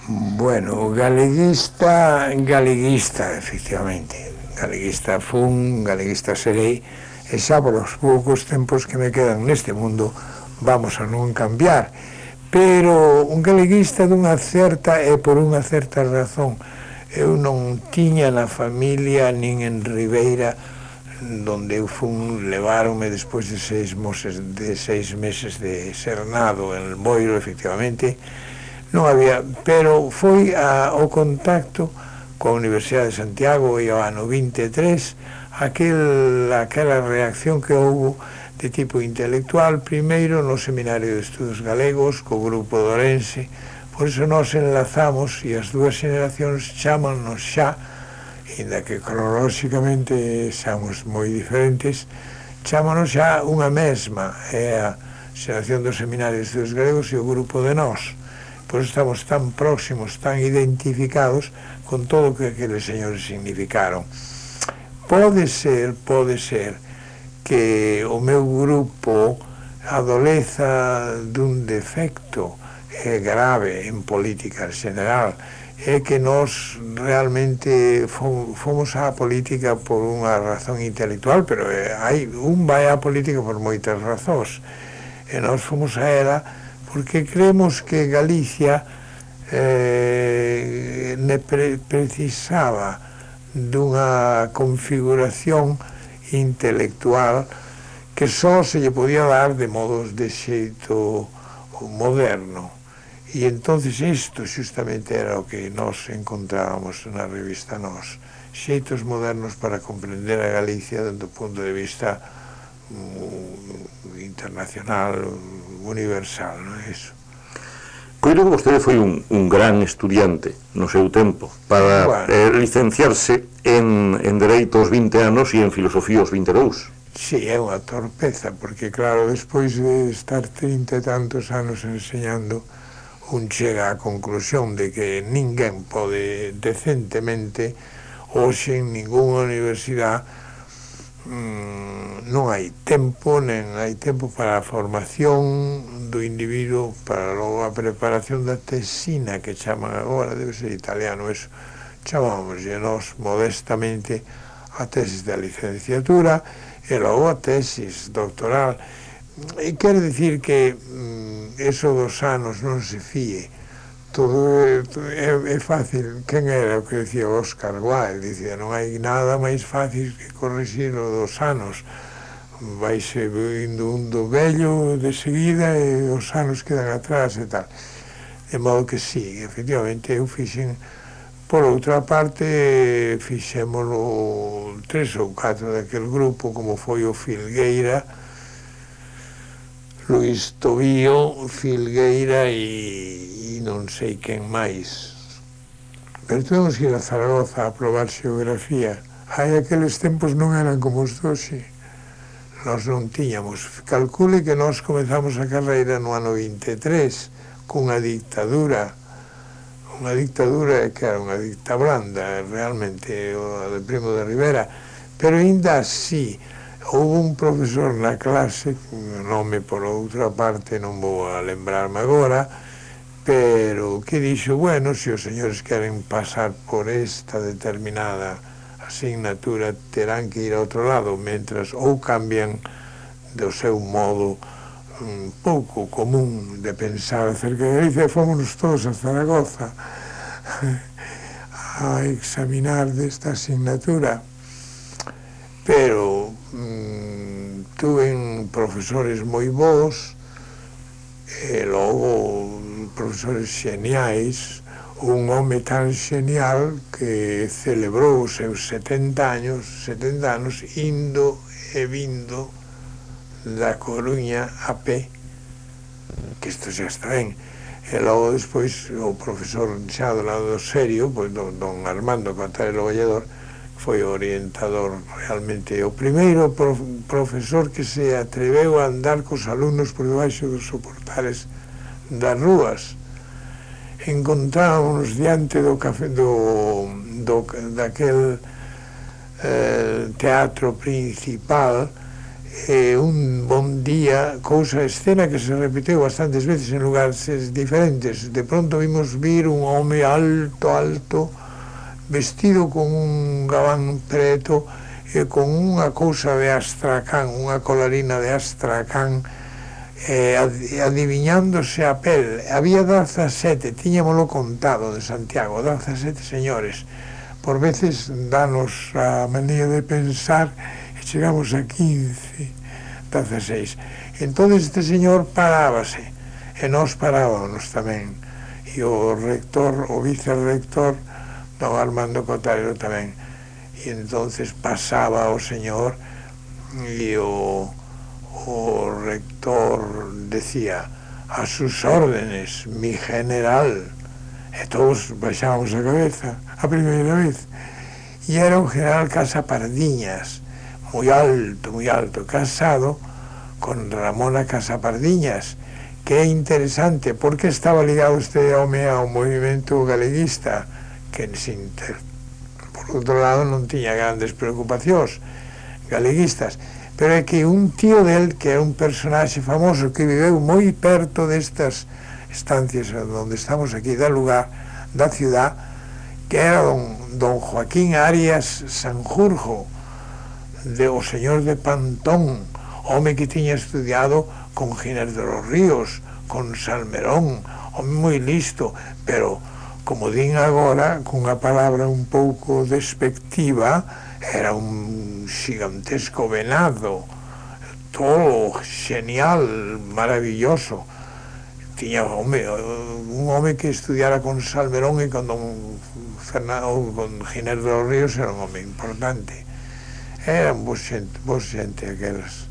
Bueno, galeguista, efectivamente. Galeguista fun, galeguista serei, e xa por os poucos tempos que me quedan neste mundo vamos a non cambiar. Pero un galeguista dunha certa e por unha certa razón. Eu non tiña na familia nin en Ribeira, donde eu fun, leváronme despois de 6 meses de ser nado en Boiro, efectivamente, non había, pero foi o contacto coa Universidade de Santiago e ao ano 23, aquela reacción que houve de tipo intelectual, primeiro no Seminario de Estudos Galegos, co grupo de Ourense. Por iso nos enlazamos e as dúas xeracións chámanos xa, inda que cronolóxicamente xamos moi diferentes, chámanos xa unha mesma, é a xeración do Seminario de Estudos Galegos e o grupo de nós. Por iso estamos tan próximos, tan identificados con todo o que aqueles señores significaron. Pode ser que o meu grupo adoleza dun defecto grave en política en general, é que nós realmente fomos á política por unha razón intelectual, pero vai á política por moitas razóns, e nós fomos a ela porque creemos que Galicia precisaba dunha configuración intelectual que só se lle podía dar de modos de xeito moderno. E entonces isto xustamente era o que nós encontrábamos na revista Nós, xeitos modernos para comprender a Galicia dentro do punto de vista internacional, universal, non é iso? Coido que vostede foi un gran estudiante no seu tempo para licenciarse en Dereito aos 20 anos e en Filosofía aos 22. Sí, é unha torpeza, porque claro, despois de estar 30 e tantos anos enseñando, un chega á conclusión de que ninguén pode decentemente hoxe en ninguna universidade non hai tempo, nen hai tempo para a formación do individuo, para logo a preparación da tesina que chaman agora, debe ser italiano eso, chamamos nós modestamente a tesis da licenciatura e logo a tesis doctoral. E quero dicir que eso dos anos non se fíe, todo é fácil. Quen era o que decía Oscar Wilde? Dicía, non hai nada máis fácil que corrixir o dos anos, vaise vindo un do vello de seguida e os anos quedan atrás e tal. De modo que sí, efectivamente eu fixen. Por outra parte, fixémolo 3 ou 4 daquel grupo, como foi o Filgueira, Luís Tobío, Filgueira e non sei quen máis. Pero tuvemos que ir a Zaragoza a probar xeografía. Hai aqueles tempos non eran como os doxe. Nós non tiñamos. Calcule que nós comezamos a carreira no ano 23 cunha dictadura. Unha dictadura que era unha dicta blanda, realmente, a de Primo de Rivera. Pero ainda así, houve un profesor na clase, o nome por outra parte non vou a lembrarme agora, pero que dixo, bueno, se os señores queren pasar por esta determinada asignatura terán que ir a outro lado, mentras ou cambian do seu modo un pouco común de pensar acerca de Galicia, fomos todos a Zaragoza a examinar desta asignatura, pero tuve profesores moi bons e logo profesores xeniais, un home tan xenial que celebrou os seus 70 anos indo e vindo da Coruña a pé, que isto xa está ben. E logo despois o profesor xa do lado serio, pois don Armando Cotarelo Valledor, foi o orientador realmente, o primeiro profesor que se atreveu a andar cos alumnos por debaixo dos soportales das rúas. Encontrámonos diante do café daquel teatro principal un bon día, cousa escena que se repeteu bastantes veces en lugares diferentes, de pronto vimos vir un home alto, vestido con un gabán preto e con unha cousa de astracán, unha colarina de astracán, adiviñándose a pel. Había 17, tiñamolo contado de Santiago, 17 señores. Por veces danos a manía de pensar e chegamos a 15, 16. Entón este señor parábase e nós parábamos tamén, e o rector, o vicerrector don Armando Cotárelo tamén, e entonces pasaba o señor e o rector decía: a sus órdenes, mi general. E todos baixábamos a cabeza a primeira vez, e era un general Casapardiñas, moi alto, casado con Ramona Casapardiñas, que é interesante porque estaba ligado este home ao movimento galeguista, que por outro lado non tiña grandes preocupacións galeguistas, pero é que un tío del, que era un personaxe famoso que viveu moi perto destas estancias onde estamos aquí, da lugar, da ciudad, que era don Joaquín Arias Sanjurjo, o señor de Pantón, home que tiña estudiado con Giner de los Ríos, con Salmerón, home moi listo, pero, como din agora, cunha palabra un pouco despectiva, era un gigantesco venado, todo genial, maravilloso. Tiña un home que estudiara con Salmerón e con don Fernando, con Giner de los Ríos, era un home importante. Eran vos xente aquelas.